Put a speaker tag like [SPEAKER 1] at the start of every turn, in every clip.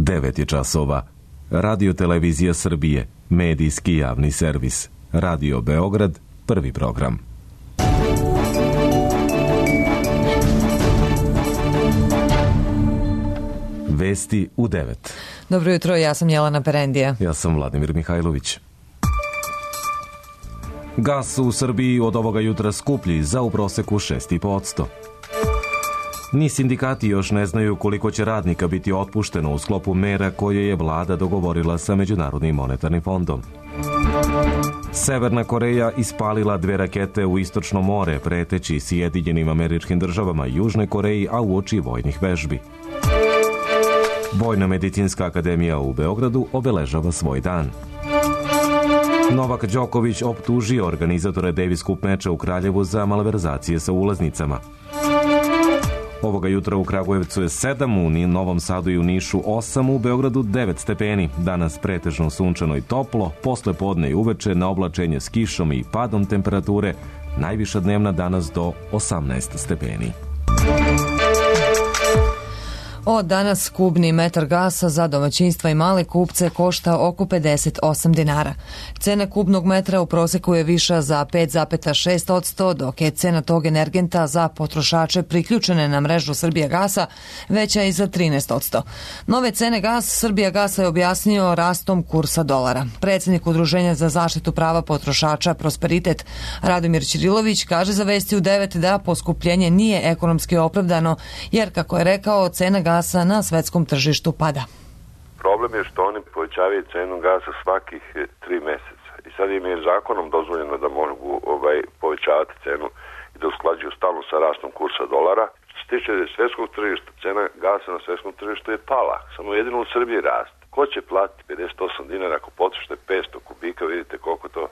[SPEAKER 1] 9 je časova. Radio Televizija Srbije, medijski javni servis. Radio Beograd, prvi program. Vesti u 9.
[SPEAKER 2] Dobro jutro, ja sam Jelena Perendija.
[SPEAKER 1] Ja sam Vladimir Mihajlović. Gas u Srbiji od ovoga jutra skuplji za u proseku 6,5%. Ni sindikati još ne znaju koliko će radnika biti otpušteno u sklopu mera koje je vlada dogovorila sa Međunarodnim monetarnim fondom. Severna Koreja ispalila 2 rakete u Istočno more, preteći Sjedinjenim Američkim Državama, Južnoj Koreji, a uoči vojnih vežbi. Vojno-medicinska akademija u Beogradu obeležava svoj dan. Novak Đoković optužio organizatore Davis Cup meča u Kraljevu za malverzacije sa ulaznicama. Ovoga jutra u Kragujevcu je 7, u Novom Sadu i u Nišu 8, u Beogradu 9 stepeni. Danas pretežno sunčano i toplo, posle podne i uveče na oblačenje s kišom i padom temperature, najviša dnevna danas do 18 stepeni.
[SPEAKER 2] Od danas kubni metar gasa za domaćinstva i male kupce košta oko 58 dinara. Cena kubnog metra u proseku je viša za 5,6%, dok je cena tog energenta za potrošače priključene na mrežu Srbijagasa veća i za 13%. Nove cene Srbijagasa je objasnio rastom kursa dolara. Predsjednik Udruženja za zaštitu prava potrošača Prosperitet Radomir Ćirilović kaže za Vesti u 9 da poskupljenje nije ekonomski opravdano, jer, kako je rekao, cena gasa na svetskom tržištu pada.
[SPEAKER 3] Problem je što oni povećavaju cenu gasa svakih 3 meseca. I sad im je zakonom dozvoljeno da mogu povećavati cenu i da usklađuju stalno sa rastom kursa dolara. Što se tiče svetskog tržišta, cena gasa na svetskom tržištu je pala. Samo jedino u Srbiji raste. Ko će platiti 58 dinara ako potrošite 500 kubika, vidite koliko to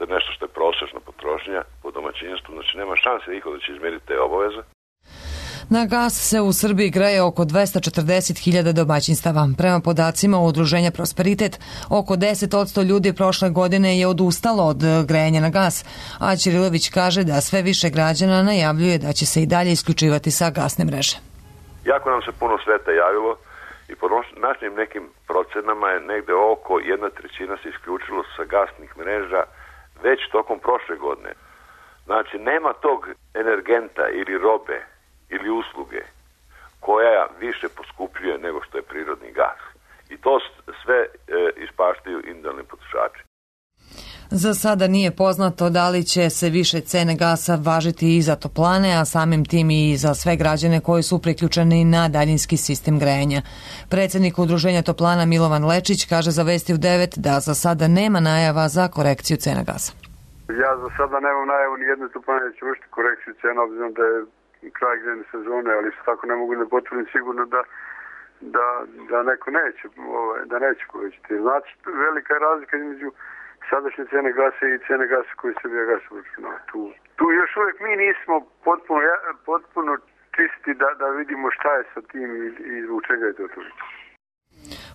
[SPEAKER 3] je nešto što je prosječna potrošnja po domaćinstvu. Znači nema šanse niko da će izmeriti te obaveze.
[SPEAKER 2] Na gas se u Srbiji greje oko 240.000 domaćinstava. Prema podacima Udruženja Prosperitet, oko 10% ljudi prošle godine je odustalo od grejanja na gas, a Ćirilović kaže da sve više građana najavljuje da će se i dalje isključivati sa gasne mreže.
[SPEAKER 3] Jako nam se puno sveta javilo i po našim nekim procenama je negde oko 1/3 se isključilo sa gasnih mreža već tokom prošle godine. Znači, nema tog energenta ili robe ili usluge koja više poskupljuje nego što je prirodni gas. I to sve ispaštaju individualni potrošači.
[SPEAKER 2] Za sada nije poznato da li će se više cene gasa važiti i za toplane, a samim tim i za sve građane koji su priključeni na daljinski sistem grejanja. Predsjednik Udruženja toplana Milovan Lečić kaže za Vesti u 9 da za sada nema najava za korekciju cena gasa.
[SPEAKER 4] Ja za sada nemam najavu ni jedne toplane da će vršiti korekciju cena, obzirom da je kraj grejne sezone, ali isto tako ne mogu da potvrdim sigurno da neko neće, da neće povećati. Znači, velika je razlika između sadašnje cene gasa i cene gasa koji Srbijagas uračunava. Tu još uvijek mi nismo potpuno čisti da vidimo šta je sa tim i zbog čega je to toliko.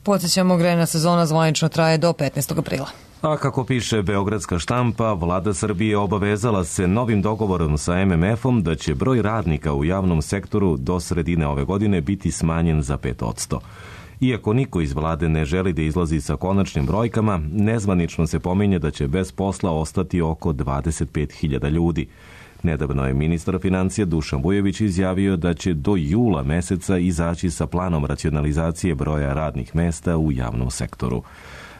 [SPEAKER 2] Podsjećamo, grejna sezona zvanično traje do 15. aprila.
[SPEAKER 1] A kako piše beogradska štampa, vlada Srbije obavezala se novim dogovorom sa MMF-om da će broj radnika u javnom sektoru do sredine ove godine biti smanjen za 5%. Iako niko iz vlade ne želi da izlazi sa konačnim brojkama, nezvanično se pominje da će bez posla ostati oko 25.000 ljudi. Nedavno je ministar financija Dušan Vujović izjavio da će do jula meseca izaći sa planom racionalizacije broja radnih mesta u javnom sektoru.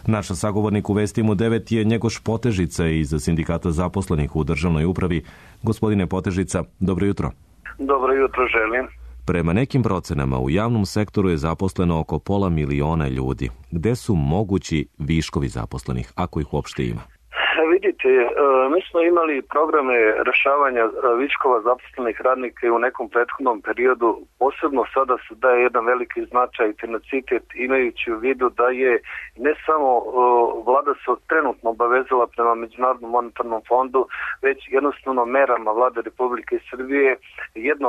[SPEAKER 1] Naš sagovornik u Vestima u 9 je Njegoš Potežica iz Sindikata zaposlenih u državnoj upravi. Gospodine Potežica, dobro jutro.
[SPEAKER 5] Dobro jutro želim.
[SPEAKER 1] Prema nekim procenama u javnom sektoru je zaposleno oko 500.000 ljudi. Gde su mogući viškovi zaposlenih, ako ih uopšte ima?
[SPEAKER 5] Vidite, mi smo imali programe rešavanja viškova zaposlenih radnika i u nekom prethodnom periodu. Posebno sada se daje jedan veliki značaj i tenacitet, imajući u vidu da je ne samo vlada se trenutno obavezala prema Međunarodnom monetarnom fondu, već jednostavno merama vlade Republike Srbije. Jedna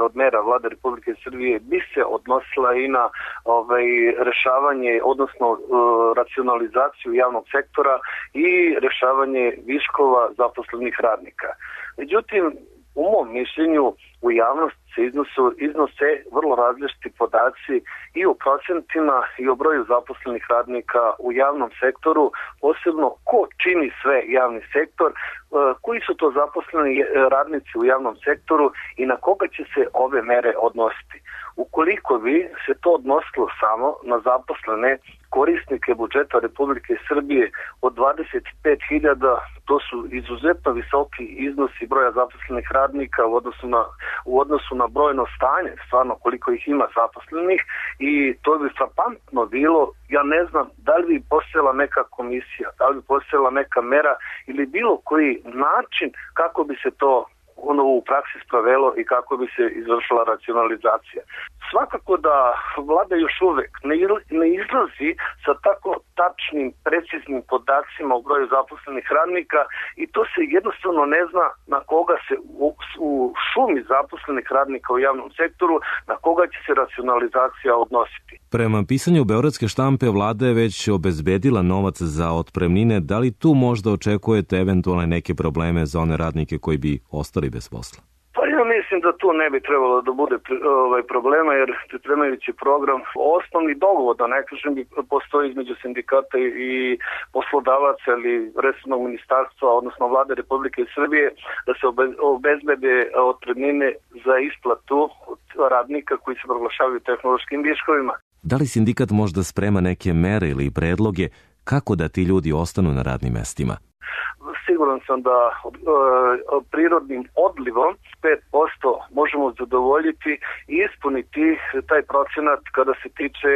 [SPEAKER 5] od mera vlade Republike Srbije bi se odnosila i na rešavanje, odnosno racionalizaciju javnog sektora i rešavanje viškova zaposlenih radnika. Međutim, u mom mišljenju u javnosti se iznose vrlo različiti podaci i o procentima i o broju zaposlenih radnika u javnom sektoru, posebno ko čini sve javni sektor, koji su to zaposleni radnici u javnom sektoru i na koga će se ove mere odnositi. Ukoliko bi se to odnosilo samo na zaposlene korisnike budžeta Republike Srbije od 25.000, to su izuzetno visoki iznosi broja zaposlenih radnika u odnosu na brojno stanje, stvarno koliko ih ima zaposlenih, i to bi frapantno bilo. Ja ne znam da li bi postojala neka komisija, da li bi postojala neka mera ili bilo koji način kako bi se to u praksi sprovelo i kako bi se izvršila racionalizacija. Svakako da vlada još uvek ne izlazi sa tako tačnim, preciznim podacima o broju zaposlenih radnika i to se jednostavno ne zna na koga se u šumi zaposlenih radnika u javnom sektoru, na koga će se racionalizacija odnositi.
[SPEAKER 1] Prema pisanju Beogradske štampe, vlada je već obezbedila novac za otpremnine. Da li tu možda očekujete eventualne neke probleme za one radnike koji bi ostali bez posla?
[SPEAKER 5] Pa ja mislim da tu ne bi trebalo da bude problema, jer pripremajući program, osnovni dogovor, da ne kažem, postoji između sindikata i poslodavaca ili resornog ministarstva, odnosno vlade Republike Srbije, da se obezbede otpremnine za isplatu radnika koji se proglašavaju tehnološkim viškovima.
[SPEAKER 1] Da li sindikat možda sprema neke mere ili predloge kako da ti ljudi ostanu na radnim mestima?
[SPEAKER 5] Siguran sam da prirodnim odlivom 5% možemo zadovoljiti i ispuniti taj procenat kada se tiče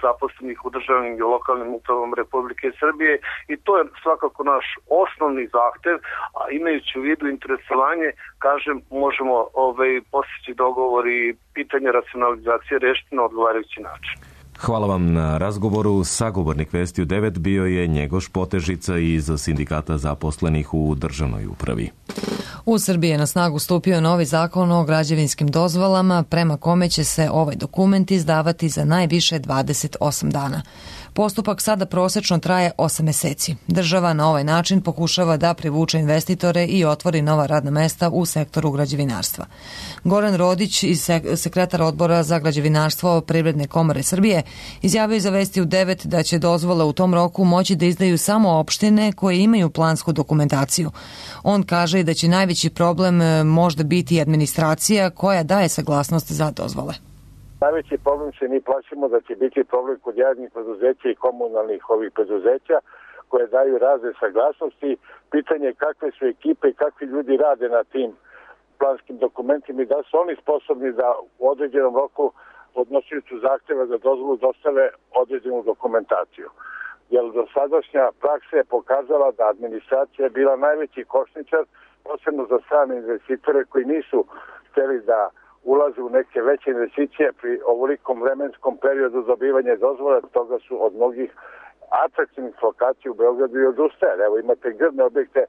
[SPEAKER 5] zaposlenih u državnim i lokalnim upravom Republike Srbije i to je svakako naš osnovni zahtev, a imajući u vidu interesovanje, kažem, možemo postići dogovor i pitanje racionalizacije rešiti na odgovarajući način.
[SPEAKER 1] Hvala vam na razgovoru. Sagovornik Vesti u 9 bio je Njegoš Potežica iz Sindikata zaposlenih u državnoj upravi.
[SPEAKER 2] U Srbiji je na snagu stupio novi zakon o građevinskim dozvolama, prema kome će se ovaj dokument izdavati za najviše 28 dana. Postupak sada prosečno traje 8 meseci. Država na ovaj način pokušava da privuče investitore i otvori nova radna mesta u sektoru građevinarstva. Goran Rodić, sekretar odbora za građevinarstvo Privredne komore Srbije, izjavio za Vesti u 9 da će dozvole u tom roku moći da izdaju samo opštine koje imaju plansku dokumentaciju. On kaže da će najveći problem možda biti administracija koja daje saglasnost za dozvole.
[SPEAKER 6] Najveći problem se mi plašimo da će biti problem kod javnih preduzeća i komunalnih preduzeća koje daju razne saglasnosti. Pitanje je kakve su ekipe i kakvi ljudi rade na tim planskim dokumentima i da su oni sposobni da u određenom roku podnosiocu zahteva za dozvolu dostave određenu dokumentaciju. Jer dosadašnja praksa je pokazala da administracija je bila najveći kočničar, posebno za strane investitore koji nisu hteli da ulaze u neke veće investicije pri ovolikom vremenskom periodu dobivanja dozvola, toga su od mnogih atraktivnih lokacija u Beogradu i odustajali. Evo imate grdne objekte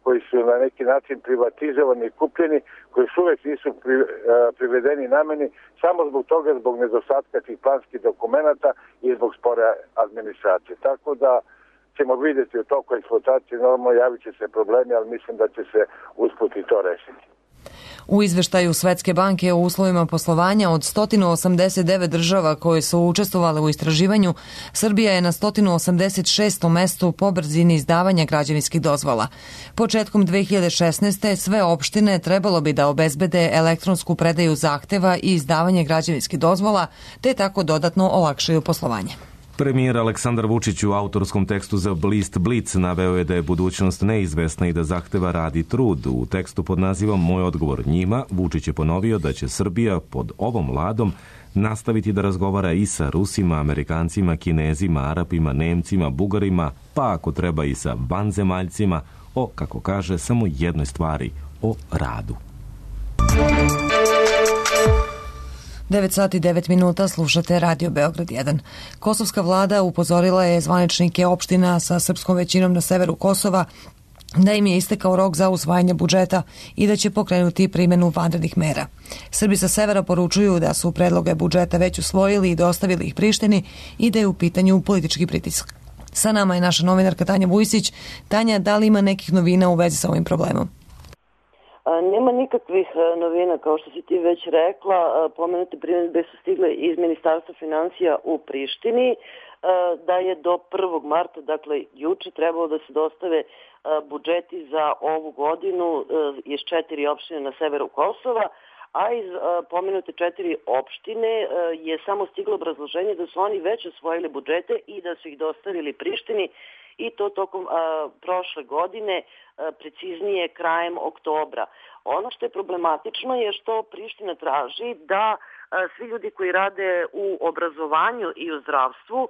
[SPEAKER 6] koji su na neki način privatizovani i kupljeni, koji su uvek nisu privedeni nameni, samo zbog toga, zbog nedostatka tih planskih dokumenata i zbog spore administracije. Tako da ćemo vidjeti u toku eksploatacije, normalno javit će se problemi, ali mislim da će se usput i to rešiti.
[SPEAKER 2] U izveštaju Svetske banke o uslovima poslovanja od 189 država koje su učestvovale u istraživanju, Srbija je na 186. mestu po brzini izdavanja građevinskih dozvola. Početkom 2016. sve opštine trebalo bi da obezbede elektronsku predaju zahteva i izdavanje građevinskih dozvola, te tako dodatno olakšaju poslovanje.
[SPEAKER 1] Premijer Aleksandar Vučić u autorskom tekstu za list Blic naveo je da je budućnost neizvesna i da zahteva rad i trud. U tekstu pod nazivom Moj odgovor njima, Vučić je ponovio da će Srbija pod ovom vladom nastaviti da razgovara i sa Rusima, Amerikancima, Kinezima, Arapima, Nemcima, Bugarima, pa ako treba i sa vanzemaljcima, o, kako kaže, samo jednoj stvari, o radu.
[SPEAKER 2] 9 sati i 9 minuta, slušate Radio Beograd 1. Kosovska vlada upozorila je zvaničnike opština sa srpskom većinom na severu Kosova da im je istekao rok za usvajanje budžeta i da će pokrenuti primjenu vanrednih mera. Srbi sa severa poručuju da su predloge budžeta već usvojili i dostavili ih Prištini i da je u pitanju politički pritisak. Sa nama je naša novinarka Tanja Vujsić. Tanja, da li ima nekih novina u vezi sa ovim problemom?
[SPEAKER 7] Nema nikakvih novina, kao što si ti već rekla. Pomenute primjedbe su stigle iz Ministarstva finansija u Prištini, da je do 1. marta, dakle juče, trebalo da se dostave budžeti za ovu godinu iz 4 opštine na severu Kosova, a iz pomenute 4 opštine je samo stiglo obrazloženje da su oni već osvojili budžete i da su ih dostavili Prištini, i to tokom prošle godine, preciznije krajem oktobra. Ono što je problematično je što Priština traži da svi ljudi koji rade u obrazovanju i u zdravstvu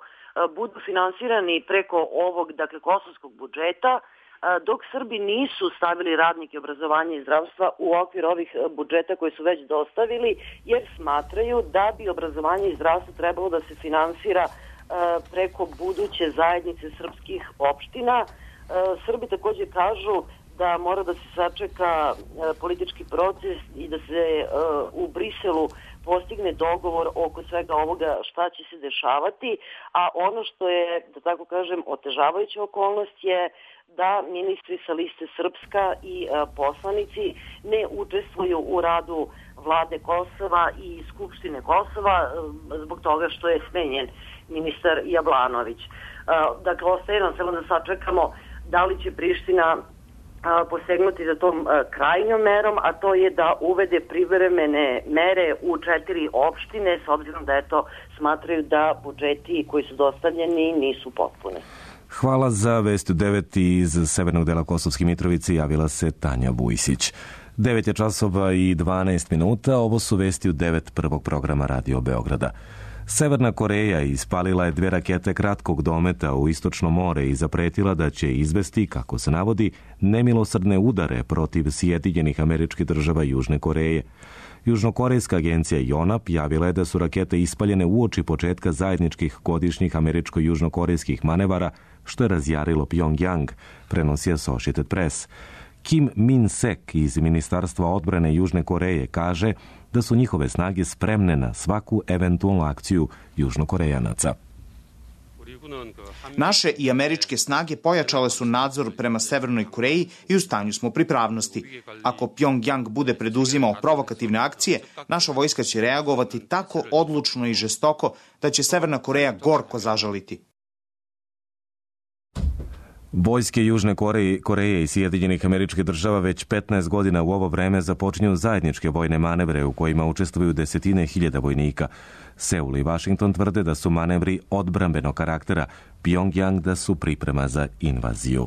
[SPEAKER 7] budu finansirani preko ovog, dakle, kosovskog budžeta, dok Srbi nisu stavili radnike obrazovanja i zdravstva u okvir ovih budžeta koji su već dostavili, jer smatraju da bi obrazovanje i zdravstvo trebalo da se finansira preko buduće zajednice srpskih opština. Srbi također kažu da mora da se sačeka politički proces i da se u Briselu postigne dogovor oko svega ovoga šta će se dešavati, a ono što je, da tako kažem, otežavajuća okolnost je da ministri sa liste Srpska i poslanici ne učestvuju u radu vlade Kosova i Skupštine Kosova zbog toga što je smenjen ministar Jablanović. Dakle, ostaje nam samo da sačekamo da li će Priština posegnuti za tom krajnjom merom, a to je da uvede privremene mere u 4 opštine, s obzirom da smatraju da budžeti koji su dostavljeni nisu potpuni.
[SPEAKER 1] Hvala za vest u 9 iz severnog dela Kosovske Mitrovice, javila se Tanja Vujsić. 9 je časova i 12 minuta, ovo su vesti u 9 prvog programa Radio Beograda. Severna Koreja ispalila je 2 rakete kratkog dometa u Istočno more i zapretila da će izvesti, kako se navodi, nemilosrdne udare protiv Sjedinjenih Američkih Država i Južne Koreje. Južnokorejska agencija Yonhap javila je da su rakete ispaljene uoči početka zajedničkih godišnjih američko-južnokorejskih manevara, što je razjarilo Pyongyang, prenosi Associated Press. Kim Min-sek iz Ministarstva odbrane Južne Koreje kaže da su njihove snage spremne na svaku eventualnu akciju Južnokorejanaca.
[SPEAKER 8] Naše i američke snage pojačale su nadzor prema Severnoj Koreji i u stanju smo pripravnosti. Ako Pyongyang bude preduzimao provokativne akcije, naša vojska će reagovati tako odlučno i žestoko da će Severna Koreja gorko zažaliti.
[SPEAKER 1] Vojske Južne Koreje i Sjedinjenih Američkih Država već 15 godina u ovo vreme započinju zajedničke vojne manevre u kojima učestvuju desetine hiljada vojnika. Seul i Washington tvrde da su manevri odbrambenog karaktera, Pyongyang da su priprema za invaziju.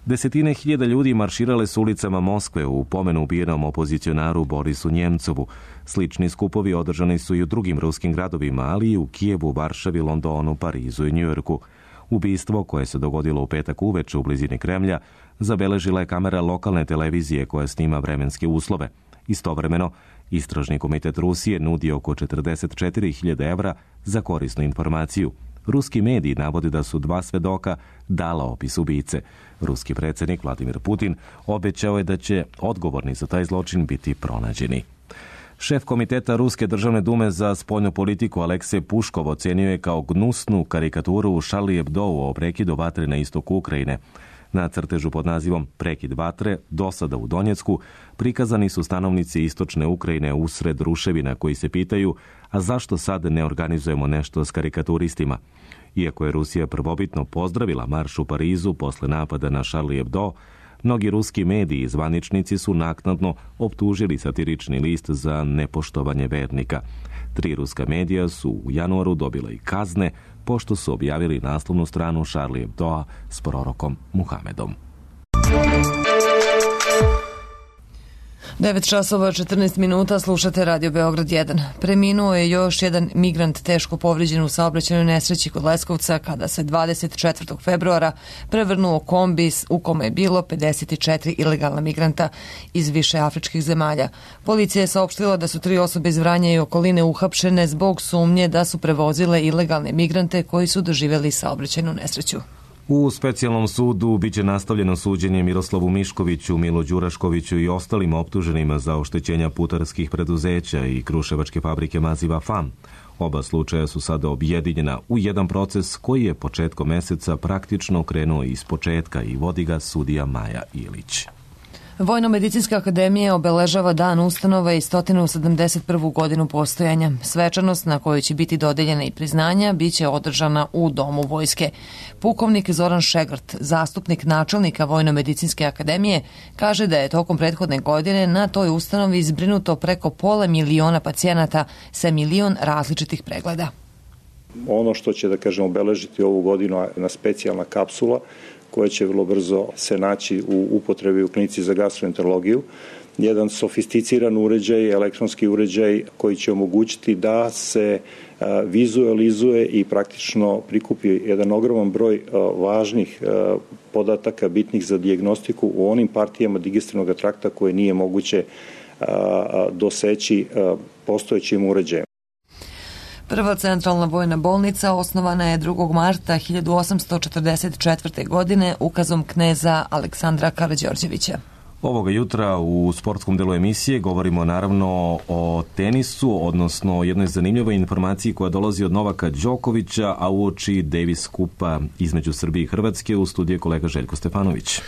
[SPEAKER 1] Desetine hiljada ljudi marširale su ulicama Moskve u pomenu ubijenom opozicionaru Borisu Njemcovu. Slični skupovi održani su i u drugim ruskim gradovima, ali i u Kijevu, Varšavi, Londonu, Parizu i Njujorku. Ubistvo, koje se dogodilo u petak uveče u blizini Kremlja, zabeležila je kamera lokalne televizije koja snima vremenske uslove. Istovremeno, Istražni komitet Rusije nudi oko 44.000 evra za korisnu informaciju. Ruski mediji navode da su 2 svedoka dala opis ubice. Ruski predsjednik Vladimir Putin obećao je da će odgovorni za taj zločin biti pronađeni. Šef komiteta Ruske državne dume za spoljnu politiku Aleksej Puškov ocenio je kao gnusnu karikaturu u Charlie Hebdou o prekidu vatre na istoku Ukrajine. Na crtežu pod nazivom Prekid vatre, dosada u Donjecku, prikazani su stanovnici istočne Ukrajine usred ruševina koji se pitaju, a zašto sad ne organizujemo nešto s karikaturistima? Iako je Rusija prvobitno pozdravila marš u Parizu posle napada na Charlie Hebdo, mnogi ruski mediji i zvaničnici su naknadno optužili satirični list za nepoštovanje vernika. 3 ruska medija su u januaru dobila i kazne pošto su objavili naslovnu stranu Charlie Hebdoa s prorokom Muhamedom.
[SPEAKER 2] 9 časova 14 minuta, slušate Radio Beograd 1. Preminuo je još jedan migrant teško povrijeđen u saobraćajnoj nesreći kod Leskovca kada se 24. februara prevrnuo kombi u kome je bilo 54 ilegalna migranta iz više afričkih zemalja. Policija je saopštila da su 3 osobe iz Vranja i okoline uhapšene zbog sumnje da su prevozile ilegalne migrante koji su doživjeli saobraćajnu nesreću.
[SPEAKER 1] U specijalnom sudu biće nastavljeno suđenje Miroslavu Miškoviću, Milo Đuraškoviću i ostalim optuženima za oštećenja putarskih preduzeća i kruševačke fabrike maziva FAM. Oba slučaja su sada objedinjena u jedan proces koji je početkom meseca praktično krenuo iz početka i vodi ga sudija Maja Ilić.
[SPEAKER 2] Vojno-medicinska akademija obeležava dan ustanove i 171. godinu postojanja. Svečanost na kojoj će biti dodeljena i priznanja biće održana u Domu vojske. Pukovnik Zoran Šegrt, zastupnik načelnika Vojno-medicinske akademije, kaže da je tokom prethodne godine na toj ustanovi zbrinuto preko 500.000 pacijenata sa 1 milion različitih pregleda.
[SPEAKER 9] Ono što će, da kažem, obeležiti ovu godinu je jedna specijalna kapsula koja će vrlo brzo se naći u upotrebi u klinici za gastroenterologiju. Jedan sofisticiran uređaj, elektronski uređaj koji će omogućiti da se vizualizuje i praktično prikupi jedan ogroman broj važnih podataka bitnih za dijagnostiku u onim partijama digestivnog trakta koje nije moguće doseći postojećim uređajem.
[SPEAKER 2] Prva centralna vojna bolnica osnovana je 2. marta 1844. godine ukazom kneza Aleksandra Karađorđevića.
[SPEAKER 1] Ovoga jutra u sportskom delu emisije govorimo naravno o tenisu, odnosno o jednoj zanimljivoj informaciji koja dolazi od Novaka Đokovića, a uoči Davis kupa između Srbije i Hrvatske. U studiju kolega Željko Stefanović.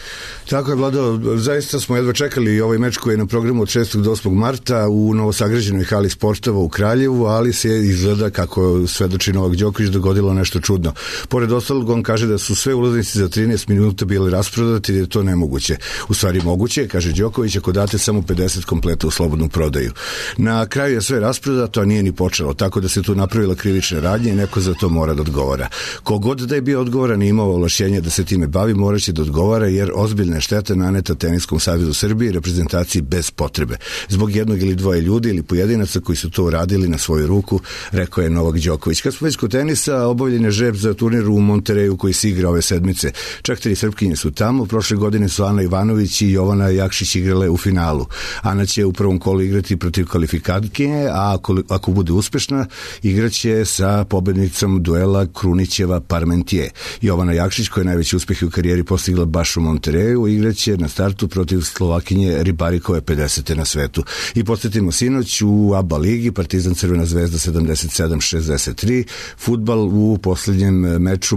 [SPEAKER 10] Tako je, Vlado, zaista smo jedva čekali ovaj meč koji je na programu od 6. do 8. marta u novosagrađenoj hali sportova u Kraljevu, ali se izgleda, kako svedoči Novak Đoković, dogodilo nešto čudno. Pored ostalog, on kaže da su sve ulaznice za 13 minuta bile rasprodate, jer je to nemoguće. U stvari moguće, kaže Đoković, ako date samo 50 kompleta u slobodnu prodaju. Na kraju je sve rasprodato, a nije ni počelo, tako da se tu napravila krivična radnja i neko za to mora da odgovara. Kogod da je bio odgovoran i imao ovlašćenje da se time bavi, moraće da odgovara, jer ozbiljna šteta naneta Teniskom savezu Srbije i reprezentaciji bez potrebe. Zbog jednog ili dvoje ljudi ili pojedinaca koji su to uradili na svoju ruku, rekao je Novak Đoković. Kad smo već kod tenisa, obavljen je žreb za turnir u Montereju koji se igra ove sedmice. Čak 3 Srpkinje su tamo. Prošle godine su Ana Ivanović i Jovana Jakšić igrale u finalu. Ana će u prvom kolu igrati protiv kvalifikatkinje, a ako bude uspešna, igraće sa pobednicom duela Krunićeva-Parmentier. Jovana Jakšić, koja je najveći uspeh u karijeri postigla baš u Montereju, igraće na startu protiv Slovakinje Ribarikove 50. na svetu. I podsjetimo, sinoć u ABA ligi Partizan Crvena zvezda 77-63, fudbal u poslednjem meču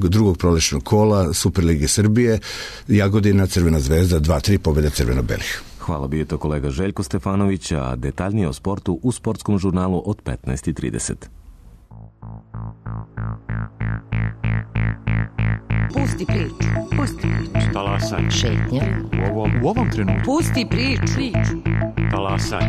[SPEAKER 10] drugog prolećnog kola Superlige Srbije, Jagodina Crvena zvezda 2-3, pobjeda crveno-belih.
[SPEAKER 1] Hvala, bio je to kolega Željko Stefanović, a detaljnije o sportu u sportskom žurnalu od 15:30.
[SPEAKER 11] Pusti priču.
[SPEAKER 12] Talasaj.
[SPEAKER 11] Šetnja.
[SPEAKER 12] U ovom trenutku.
[SPEAKER 11] Pusti priču.
[SPEAKER 12] Talasaj.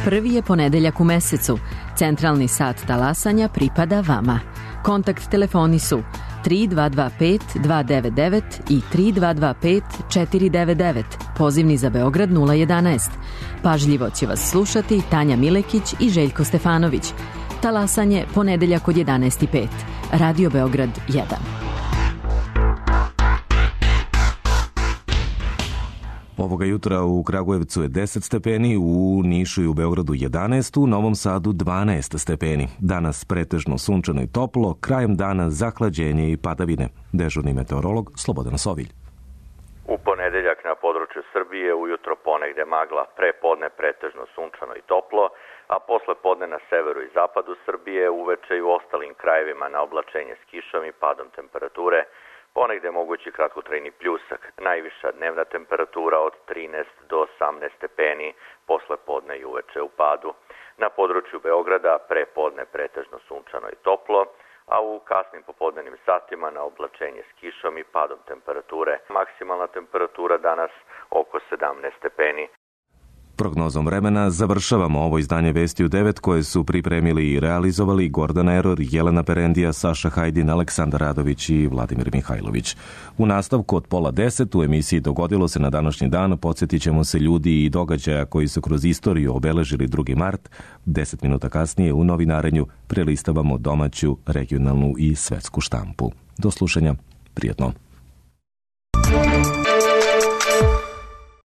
[SPEAKER 13] Prvi je ponedeljak u mesecu. Centralni sat talasanja pripada vama. Kontakt telefoni su 3225 299 i 3225 499. Pozivni za Beograd 011. Pažljivo će vas slušati Tanja Milekić i Željko Stefanović. Talasanje ponedeljak od 11:05. Radio Beograd 1.
[SPEAKER 1] Ovoga jutra u Kragujevcu je 10 stepeni, u Nišu i u Beogradu 11, u Novom Sadu 12 stepeni. Danas pretežno sunčano i toplo, krajem dana zahlađenje i padavine. Dežurni meteorolog Slobodan Sovilj.
[SPEAKER 14] U ponedeljak na području Srbije ujutro ponegde magla, prepodne pretežno sunčano i toplo, a posle podne na severu i zapadu Srbije, uveče i u ostalim krajevima na oblačenje s kišom i padom temperature, ponegde mogući kratkotrajni pljusak, najviša dnevna temperatura od 13 do 18 stepeni, posle podne i uveče u padu. Na području Beograda prepodne pretežno sunčano i toplo, a u kasnim popodnevnim satima na oblačenje s kišom i padom temperature. Maksimalna temperatura danas oko 17 stepeni.
[SPEAKER 1] Prognozom vremena završavamo ovo izdanje Vesti u 9 koje su pripremili i realizovali Gordana Eror, Jelena Perendija, Saša Hajdin, Aleksandar Radović i Vladimir Mihajlović. U nastavku od 9:30 u emisiji Dogodilo se na današnji dan podsjetit ćemo se ljudi i događaja koji su kroz istoriju obeležili 2. mart. 10 minuta kasnije u novinarenju prelistavamo domaću, regionalnu i svetsku štampu. Do slušanja, prijatno.